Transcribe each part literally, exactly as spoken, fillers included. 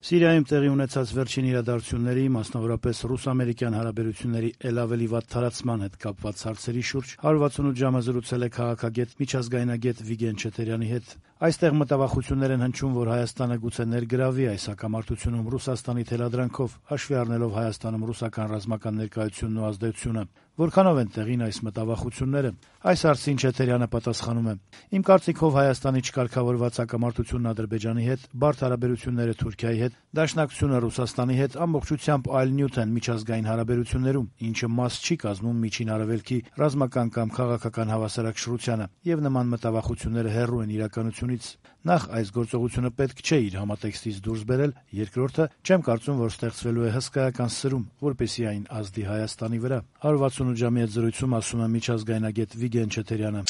Սիրիայում տեղի ունեցած վերջին իրադարձությունների, մասնավորապես ռուս-ամերիկյան հարաբերությունների ել ավելի վատ թարացման հետ կապված հարցերի շուրջ հարյուր վաթսունութ ժամը զրուցել է քաղաքագետ, միջազգայնագետ Վիգեն Չեթերյանի հետ։ Այստեղ մտավախություններ են հնչում, որ Հայաստանը գուցե ներգրավի այս հակամարտությունում Ռուսաստանի թելադրանքով, հաշվի առնելով Հայաստանում ռուսական ռազմական ներկայությունն ու ազդեցությունը։ Որքանով են տեղին այս մտավախությունները։ Այս հարցին Չեթերյանը պատասխանում է. «Իմ կարծիքով Հայաստանի չկարգավորված հակամարտությունն Ադրբեջանի հետ, բարդ հարաբերությունները Թուրքիայի հետ, դաշնակցությունը Ռուսաստանի հետ ամբողջությամբ այլ նյութ են միջազգային հարաբերություններում, ինչը մաս չի կազմում Միջին Արևելքի ռազմական կամ քաղաքական հավասարակշռությանը, եւ նման մտավախությունները հեռու են իրականությունից։ Նախ, այս գործողությունը պետք չէ իր համատեքստից դուրս բերել, երկրորդը, չեմ կարծում, որ ստեղծվելու է հսկայական սրում, որպեսզի այն ազդի Հայաստանի վրա», հարյուր վաթսունութ ժամի հետ զրույցում ասում է միջազգայնագետ Վիգեն Չեթերյանը։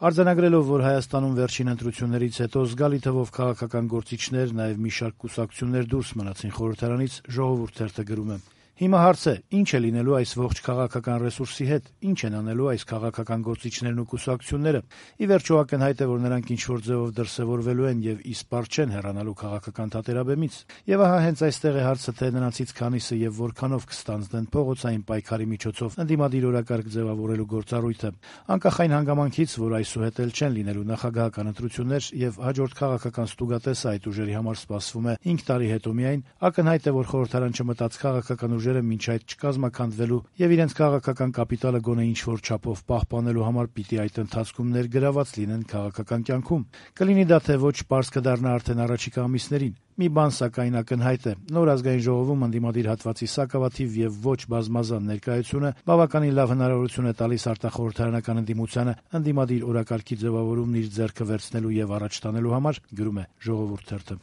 Արձանագրելով, որ Հայաստանում վերջին ընտրություններից հետո զգալի թվով քաղաքական գործիչներ, նաև մի շարք կուսակցություններ դուրս մնացին խորհրդարանից, Ժողովուրդ թերթը գրում է. «Հիմա հարց է, ինչ է լինելու այս ողջ քաղաքական ռեսուրսի հետ, ինչ են անելու այս քաղաքական գործիչներն ու կուսակցությունները։ Ի վերջո ակնհայտ է, որ նրանք ինչ-որ ձևով դրսևորվելու են եւ իսպառ չեն հեռանալու քաղաքական թատերաբեմից։ Եվ ահա հենց այստեղ է հարցը, թե նրանցից քանիսը եւ որքանով կստանձնեն փողոցային պայքարի միջոցով ընդդիմադիր օրակարգ ձևավորելու գործառույթը։ Անկախ այն հանգամանքից, որ այսուհետ էլ չեն լինելու նախագահական ընտրություններ եւ հաջորդ քաղաքական ստուգատեսը այդ ուժերի համար սպասվում է հինգ տարի հետո միայն, ակնհայտ է, որ խորհրդարան չմտած քաղաքական ուժերը մինչ այդ չկազմաքանդվելու եւ իրենց քաղաքական կապիտալը գոնե ինչ-որ չափով պահպանելու համար պիտի այդ ընթացքում ներգրաված լինեն քաղաքական կյանքում։ Կլինի դա թե ոչ, պարզ կդառնա արդեն առաջիկա ամիսներին։ Մի բան սակայն ակնհայտ է. նոր ազգային ժողովում ընդդիմադիր հատվածի սակավաթիվ եւ ոչ բազմազան ներկայությունը բավականին լավ հնարավորություն է տալիս արտախորհրդարանական ընդդիմությանը ընդդիմադիր օրակարգի ձևավորումն իր ձեռքը վերցնելու եւ առաջ տանելու համար, գրում է Ժողովուրդ թերթը։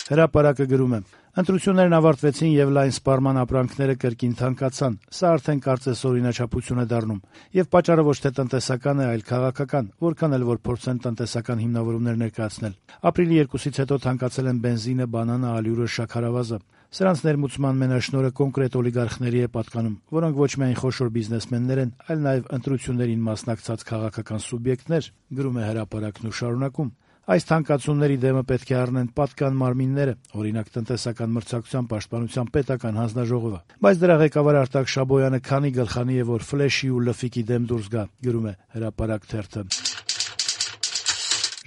Հրապարակը գրում է. «Ընտրություններն ավարտվեցին եւ լայն սպառման ապրանքները կրկին թանկացան։ Սա արդեն կարծես օրինաչափություն է դառնում։ Եվ պատճառը ոչ թե տնտեսական է, այլ քաղաքական, որքան էլ որ փորձեն տնտեսական հիմնավորումներ ներկայացնել։ Ապրիլի երկուսից հետո թանկացել են բենզինը, բանանը, ալյուրը, շաքարավազը։ Սրանց ներմուծման մենաշնորհը կոնկրետ օլիգարխների է պատկանում, որոնք ոչ միայն խոշոր բիզնեսմեններ են, այլ նաեւ ընտրություններին մասնակցած քաղաքական սուբյեկտներ», գրում է Հրապարակն ու շարունակում. «Այս թանկացումների դեմը պետք է առնեն պատկան մարմինները, օրինակ տնտեսական մրցակցության պաշտպանության պետական հանձնաժողովը։ Բայց դրա ղեկավար Արտակ Շաբոյանը քանի գլխանի է, որ ֆլեշի ու լֆիկի դեմ դուրս գա», գրում է Հրապարակ թերթը։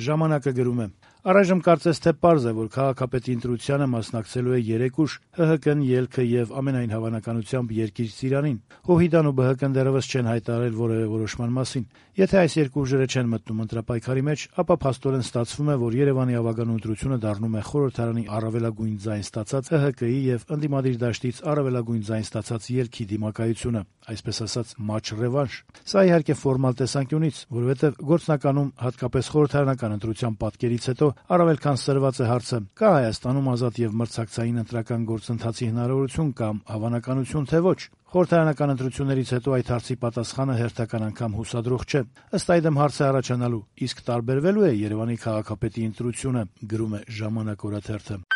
Ժամանակը գրում է. «Առայժմ կարծես թե պարզ է, որ քաղաքապետի ընտրությանը մասնակցելու է երեք ուժ՝ ՀՀԿ-ն, ԵԼՔ-ը եւ ամենայն հավանականությամբ Երկիր Ծիրանին։ ՀՅԴ-ն ու ԲՀԿ-ն դեռեւս չեն հայտարարել որեւէ որոշման մասին։ Եթե այս երկու ուժերը չեն մտնում ընտրապայքարի մեջ, ապա փաստորեն ստացվում է, որ Երևանի ավագանու ընտրությունը դառնում է խորհրդարանի առավելագույն ձայն ստացած ՀՀԿ-ի եւ ընդդիմադիր դաշտից առավելագույն ձայն ստացած ԵԼՔ-ի դիմակայությունը, այսպես ասած, մաչ ռևանշ։ Սա իհարկե ֆորմալ տեսանկյունից, որովհետեւ գործնականում, հատկապես խորհրդարանական ընտրության պատկերից հետո, առավել քան սրված է հարցը՝ կա Հայաստանում ազատ եւ մրցակցային ընտրական գործընթացի հնարավորություն կամ հավանականություն, թե ոչ։ Խորհրդարանական ընտրություններից հետո այդ հարցի պատասխանը հերթական անգամ հուսադրող չէ։ Ըստ այդմ հարց է առաջանալու՝ իսկ տարբերվելու է Երևանի քաղաքապետի ընտրությունը, գրում է Ժամանակ օրաթերթը։